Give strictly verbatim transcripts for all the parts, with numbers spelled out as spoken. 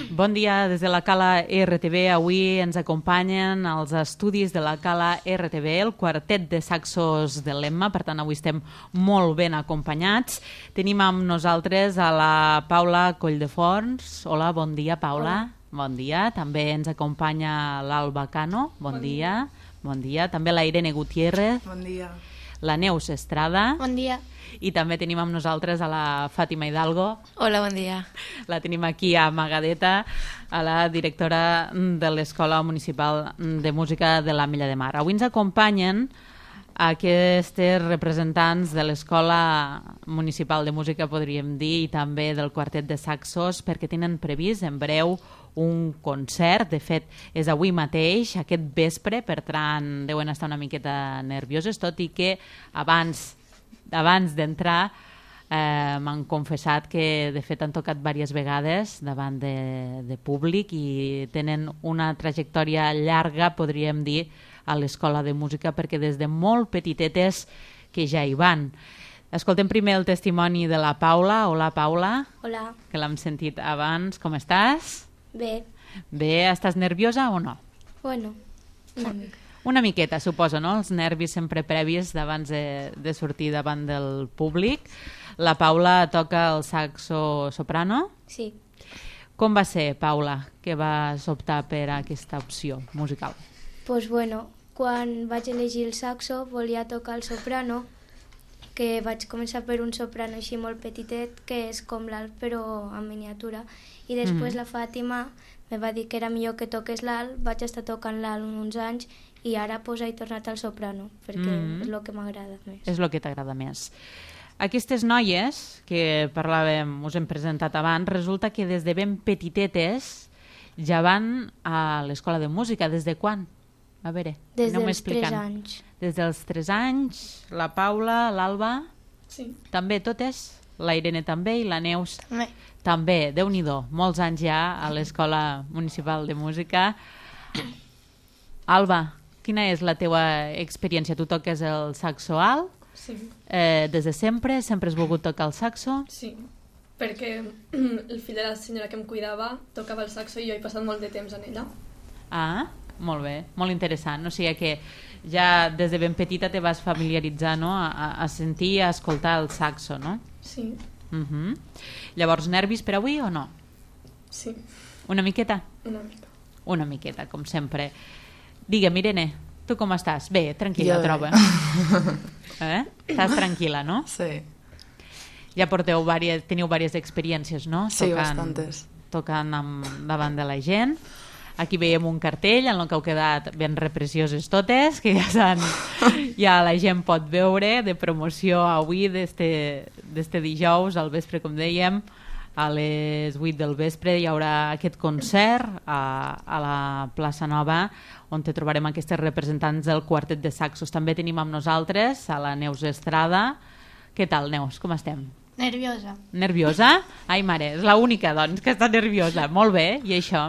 Bon dia des de la Cala R T V. Avui ens acompanyen els estudis de la Cala R T V, el quartet de saxos de l'Emma, per tant avui estem molt ben acompanyats. Tenim amb nosaltres a la Paula Colldeforns. Hola, bon dia, Paula. Hola. Bon dia. També ens acompanya l'Alba Cano. Bon, bon dia. dia. Bon dia. També la Irene Gutiérrez. Bon dia. La Neus Estrada. Bon dia. I també tenim amb nosaltres a la Fàtima Hidalgo. Hola, bon dia. La tenim aquí amagadeta, a la directora de l'Escola Municipal de Música de l'Ametlla de Mar. Avui ens acompanyen aquests representants de l'Escola Municipal de Música, podríem dir, i també del quartet de saxos, perquè tenen previst en breu un concert. De fet, és avui mateix, aquest vespre, per tant, deuen estar una miqueta nervioses, tot i que abans abans d'entrar eh, m'han confessat que de fet han tocat diverses vegades davant de, de públic i tenen una trajectòria llarga, podríem dir, a l'Escola de Música, perquè des de molt petitetes que ja hi van. Escoltem primer el testimoni de la Paula. Hola, Paula. Hola. Que l'hem sentit abans. Com estàs? Bé. Bé, estàs nerviosa o no? Bueno, una mica. Una miqueta, suposo, no? Els nervis sempre previs d'abans de, de sortir davant del públic. La Paula toca el saxo soprano. Sí. Com va ser, Paula, que vas optar per aquesta opció musical? Pues bueno, quan vaig elegir el saxo volia tocar el soprano, que vaig començar per un soprano així molt petitet, que és com l'alt però en miniatura, i després mm. la Fàtima me va dir que era millor que toqués l'alt, vaig estar tocant l'alt uns anys i ara pues, he tornat al soprano, perquè mm. és el que m'agrada més. És el que t'agrada més. Aquestes noies que parlàvem, us hem presentat abans, resulta que des de ben petitetes ja van a l'Escola de Música. Des de quan? A veure, des dels tres anys. Des dels tres anys, la Paula, l'Alba... Sí. També totes? La Irene també i la Neus? Bé. També, Déu-n'hi-do, molts anys ja a l'Escola Municipal de Música. Alba, quina és la teua experiència? Tu toques el saxo alt? Sí. Eh, des de sempre? Sempre has volgut tocar el saxo? Sí, perquè el fill de la senyora que em cuidava tocava el saxo i jo he passat molt de temps en ella. Ah, molt bé, molt interessant. O sigui que ja des de ben petita te vas familiaritzar, no? a, a sentir i a escoltar el saxo, no? Sí. Uh-huh. Llavors, nervis per avui o no? Sí. Una miqueta? Una mica. Una miqueta, com sempre. Digue'm, Irene, tu com estàs? Bé, tranquil·la, Jo troba. Eh? Estàs tranquil·la, no? Sí. Ja porteu vàries, teniu diverses experiències, no? Sí, tocant, bastantes. Tocant amb, davant de la gent. Aquí veiem un cartell en el que heu quedat ben reprecioses totes, que ja, s'han, ja la gent pot veure, de promoció avui, d'este dijous, al vespre, com dèiem, a les vuit del vespre hi haurà aquest concert a, a la plaça Nova, on te trobarem aquestes representants del quartet de saxos. També tenim amb nosaltres a la Neus Estrada. Què tal, Neus? Com estem? Nerviosa. Nerviosa? Ai, mare, és l'única, doncs, que està nerviosa. Molt bé, i això?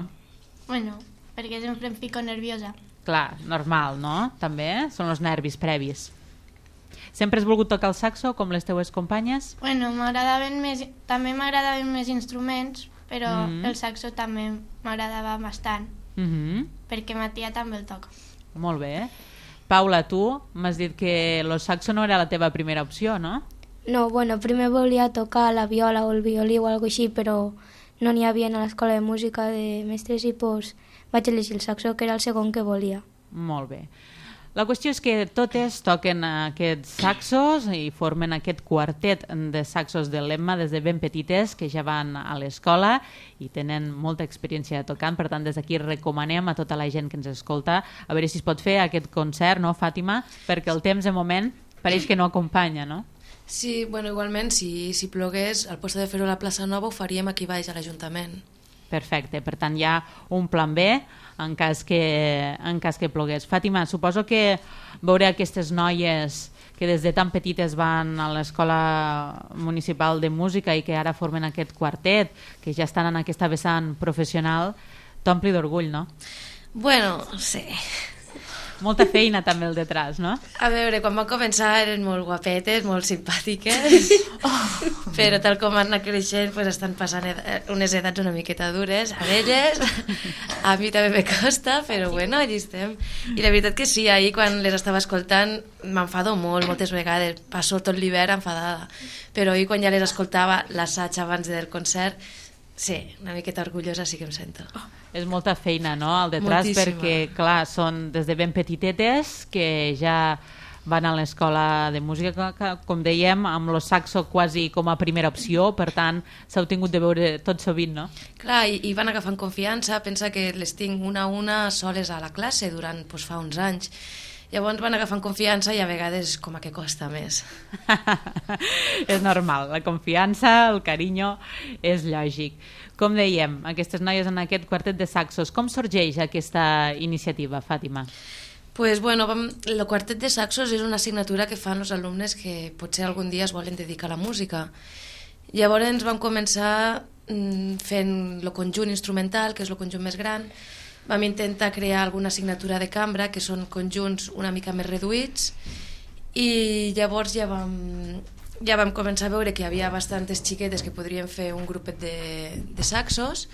Bueno, perquè sempre em fico nerviosa. Clar, normal, no? També són els nervis previs. Sempre has volgut tocar el saxo, com les teues companyes? Bueno, m'agradaven més, també m'agradaven més instruments, però Mm. el saxo també m'agradava bastant, Mhm. perquè ma tia també el toca. Molt bé. Paula, tu m'has dit que el saxo no era la teva primera opció, no? No, bueno, primer volia tocar la viola o el violí o alguna així, però no n'hi havia a l'escola de música de mestres i pues, vaig elegir el saxo, que era el segon que volia. Molt bé. La qüestió és que totes toquen aquests saxos i formen aquest quartet de saxos de l'Emma des de ben petites, que ja van a l'escola i tenen molta experiència tocant. Per tant, des d'aquí recomanem a tota la gent que ens escolta a veure si es pot fer aquest concert, no, Fàtima? Perquè el temps, de moment, pareix que no acompanya, no? Sí, bueno, igualment, si, si plogués, al lloc de fer-ho a la plaça Nova, ho faríem aquí baix a l'Ajuntament. Perfecte, per tant hi ha un plan B en cas que, en cas que plogués. Fàtima, suposo que veure aquestes noies que des de tan petites van a l'Escola Municipal de Música i que ara formen aquest quartet, que ja estan en aquesta vessant professional, t'ompli d'orgull, no? Bueno, sí. molta feina també el detrás, no? A veure, quan van començar eren molt guapetes, molt simpàtiques, oh. però tal com han anat creixent pues, estan passant ed unes edats una miqueta dures a elles, a mi també me costa, però bueno, allí estem. I la veritat que sí, ahir quan les estava escoltant m'enfado molt, moltes vegades, passo tot l'hivern enfadada, però ahir quan ja les escoltava l'assaig abans del concert, sí, una miqueta orgullosa sí que em sento. Oh. És molta feina, no?, al detrás, moltíssima. Perquè, clar, són des de ben petitetes que ja van a l'escola de música, que, com dèiem, amb el saxo quasi com a primera opció, per tant, s'heu tingut de veure tot sovint, no? Clar, i, i van agafant confiança, pensa que les tinc una a una soles a la classe durant doncs, fa uns anys. Llavors van agafant confiança i a vegades com a que costa més. És normal, la confiança, el carinyo, és lògic. Com dèiem, aquestes noies en aquest quartet de saxos, com sorgeix aquesta iniciativa, Fàtima? Pues bueno, vam, el quartet de saxos és una assignatura que fan els alumnes que potser algun dia es volen dedicar a la música. Llavors vam començar mm, fent el conjunt instrumental, que és el conjunt més gran. Vam intentar crear alguna assignatura de cambra, que són conjunts una mica més reduïts, i llavors ja vam, ja vam començar a veure que hi havia bastantes xiquetes que podrien fer un grupet de, de saxos,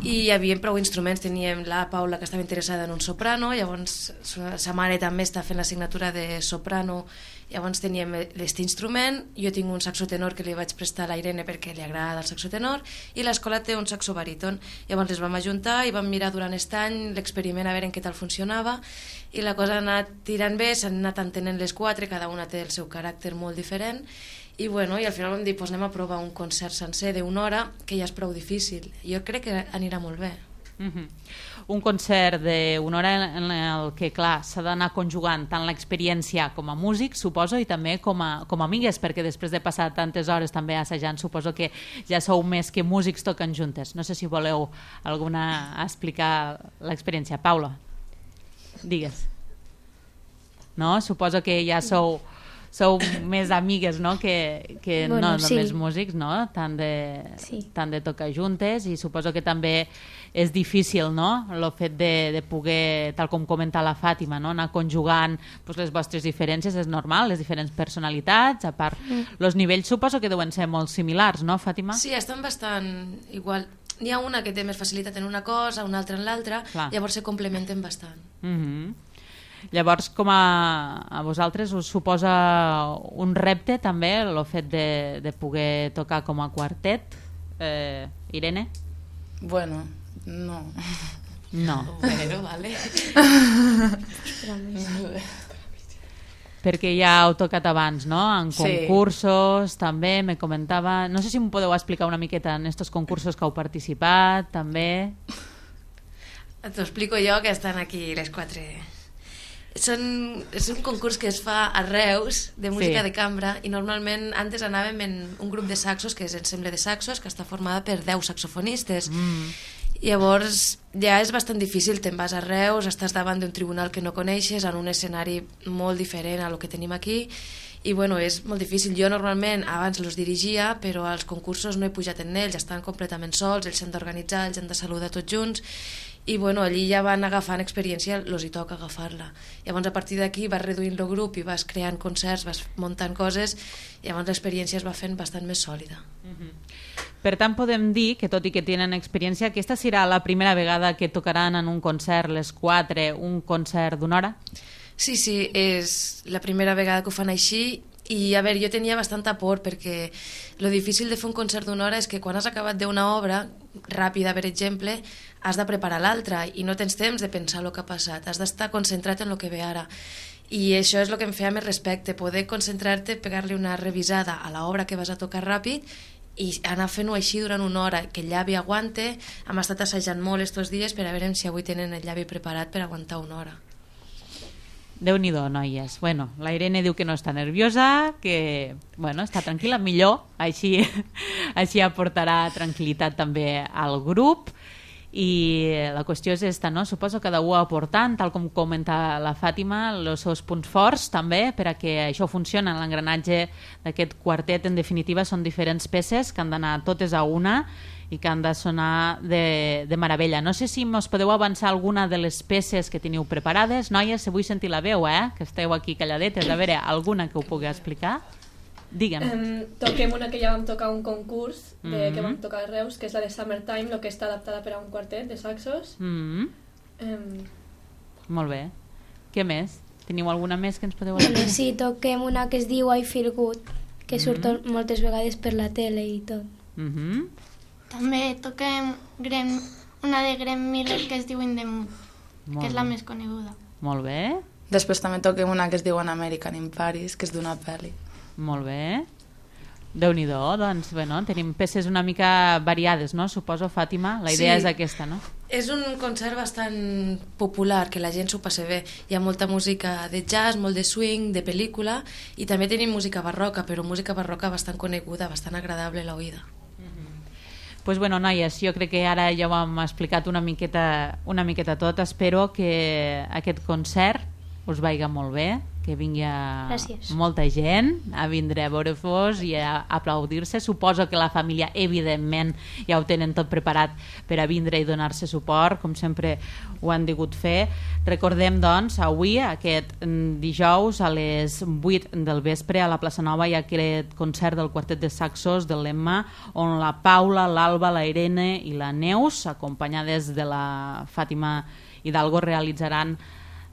i hi havia prou instruments. Teníem la Paula, que estava interessada en un soprano, llavors sa mare també està fent l'assignatura de soprano, llavors teníem aquest instrument. Jo tinc un saxo tenor que li vaig prestar a la Irene perquè li agrada el saxo tenor, i l'escola té un saxo baríton. Llavors les vam ajuntar i vam mirar durant aquest any l'experiment a veure en què tal funcionava, i la cosa ha anat tirant bé, s'han anat entenent les quatre, cada una té el seu caràcter molt diferent, i bueno, i al final vam dir, pues anem a provar un concert sencer d'una hora, que ja és prou difícil. Jo crec que anirà molt bé. Uh-huh. Un concert d'una hora en el que, clar, s'ha d'anar conjugant tant l'experiència com a músic, suposo, i també com a, com a amigues, perquè després de passar tantes hores també assajant, suposo que ja sou més que músics tocant juntes. No sé si voleu alguna explicar l'experiència. Paula, digues. No? Suposo que ja sou... sou més amigues, no?, que, que bueno, no només sí. músics, no?, tant de, sí. tant de tocar juntes, i suposo que també és difícil, no?, el fet de, de poder, tal com comenta la Fàtima, no?, anar conjugant pues, les vostres diferències, és normal, les diferents personalitats, a part, mm. els nivells suposo que deuen ser molt similars, no, Fàtima? Sí, estan bastant igual. N'hi ha una que té més facilitat en una cosa, una altra en l'altra, llavors se complementen bastant. Mhm. Llavors, com a, a vosaltres us suposa un repte també el fet de, de poder tocar com a quartet? Eh, Irene? Bueno, no. No. Bueno, vale. Perquè ja heu tocat abans, no? En concursos, sí. també, me comentava... No sé si m'ho podeu explicar una miqueta en estos concursos que heu participat, també. T'ho explico jo, que estan aquí les quatre... Són, és un concurs que es fa a Reus de música sí. de cambra, i normalment antes anàvem en un grup de saxos, que és Ensemble de Saxos, que està formada per deu saxofonistes. Mm. Llavors ja és bastant difícil, te'n vas a Reus, estàs davant d'un tribunal que no coneixes, en un escenari molt diferent a lo que tenim aquí, i bueno, és molt difícil. Jo normalment abans els dirigia, però als concursos no he pujat en ells, estan completament sols, ells s'han d'organitzar, ells han de saludar tots junts, i bueno, allí ja van agafant experiència, els hi toca agafar-la. Llavors a partir d'aquí vas reduint el grup i vas creant concerts, vas muntant coses, i llavors l'experiència es va fent bastant més sòlida. Mm-hmm. Per tant, podem dir que tot i que tenen experiència, aquesta serà la primera vegada que tocaran en un concert les quatre, un concert d'una hora? Sí, sí, és la primera vegada que ho fan així. I a veure, jo tenia bastanta por, perquè lo difícil de fer un concert d'una hora és que quan has acabat d'una obra ràpida, per exemple, has de preparar l'altra i no tens temps de pensar el que ha passat, has d'estar concentrat en el que ve ara, i això és el que em feia més respecte, poder concentrar-te, pegar-li una revisada a l'obra que vas a tocar ràpid i anar fent-ho així durant una hora, que el llavi aguante. Hem estat assajant molt estos dies per a veure si avui tenen el llavi preparat per aguantar una hora. Déu-n'hi-do, noies. Bueno, la Irene diu que no està nerviosa, que bueno, està tranquil·la, millor, així, així aportarà tranquil·litat també al grup. I la qüestió és esta, no? Suposo que cada un aportant, tal com comenta la Fàtima, els seus punts forts també, per a que això funcioni. L'engranatge d'aquest quartet, en definitiva, són diferents peces que han d'anar totes a una i que han de sonar de, de meravella. No sé si mos podeu avançar alguna de les peces que teniu preparades. Noies, si vull sentir la veu, eh? Que esteu aquí calladetes. A veure, alguna que ho pugui explicar? Digue'm. Um, toquem una que ja vam tocar un concurs de, Mm-hmm. que vam tocar a Reus, que és la de Summertime, lo que està adaptada per a un quartet de saxos. Mm. Um, Molt bé. Què més? Teniu alguna més que ens podeu Bueno, explicar? sí, toquem una que es diu I Feel Good, que surt Mm-hmm. moltes vegades per la tele i tot. Mm-hmm. També toquem Graham, una de Graham Miller que es diu In the Mood, Molt que és la bé. més coneguda. Molt bé. Després també toquem una que es diu An American in Paris, que és d'una pel·li. Molt bé. Déu-n'hi-do, doncs, bueno, tenim peces una mica variades, no? Suposo, Fàtima, la idea Sí. és aquesta, no? És un concert bastant popular, que la gent s'ho passa bé. Hi ha molta música de jazz, molt de swing, de pel·lícula, i també tenim música barroca, però música barroca bastant coneguda, bastant agradable a l'oïda. Pues bueno, noies, jo crec que ara ja ho hem explicat una miqueta, una miqueta tot. Espero que aquest concert us vaiga molt bé, que vingui a Gràcies. molta gent a vindre a veure-vos i a aplaudir-se. Suposo que la família, evidentment, ja ho tenen tot preparat per a vindre i donar-se suport, com sempre ho han degut fer. Recordem, doncs, avui, aquest mm, dijous, a les vuit del vespre, a la plaça Nova, hi ha aquest concert del quartet de saxos del Lemma, on la Paula, l'Alba, la Irene i la Neus, acompanyades de la Fàtima Hidalgo, realitzaran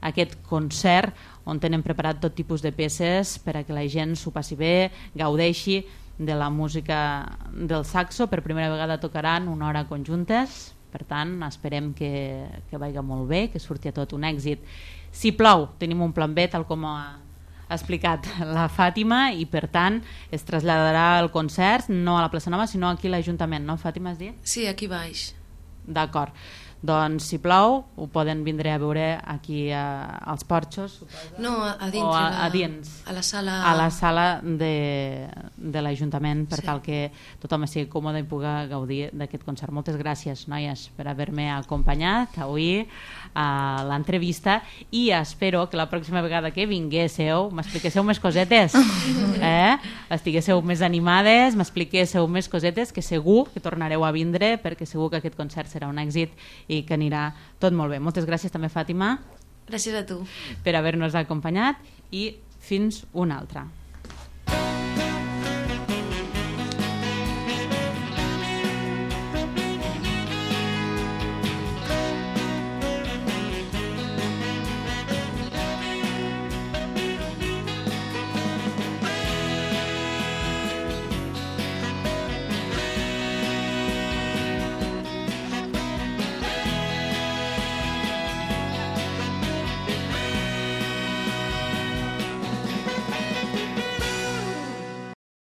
aquest concert on tenen preparat tot tipus de peces per a que la gent s'ho passi bé, gaudeixi de la música del saxo. Per primera vegada tocaran una hora conjuntes, per tant esperem que, que vaiga molt bé, que surti a tot un èxit. Si plou, tenim un plan B, tal com ha explicat la Fàtima, i per tant es traslladarà el concert no a la plaça Nova sinó aquí a l'Ajuntament, no, Fàtima, has dit? Sí, aquí baix. D'acord. Doncs si plou ho poden vindre a veure aquí a, als porxos, suposo. No, a, a dins. O a- la- a dins. A la sala... A la sala de, de l'Ajuntament, per Sí. tal que tothom estigui còmode i pugui gaudir d'aquest concert. Moltes gràcies, noies, per haver-me acompanyat avui a l'entrevista, i espero que la pròxima vegada que vinguéssiu m'expliquéssiu més cosetes, eh? Estiguéssiu més animades, m'expliquéssiu més cosetes, que segur que tornareu a vindre, perquè segur que aquest concert serà un èxit i que anirà tot molt bé. Moltes gràcies també, Fàtima, Gràcies a tu. per haver-nos acompanyat, i fins una altra.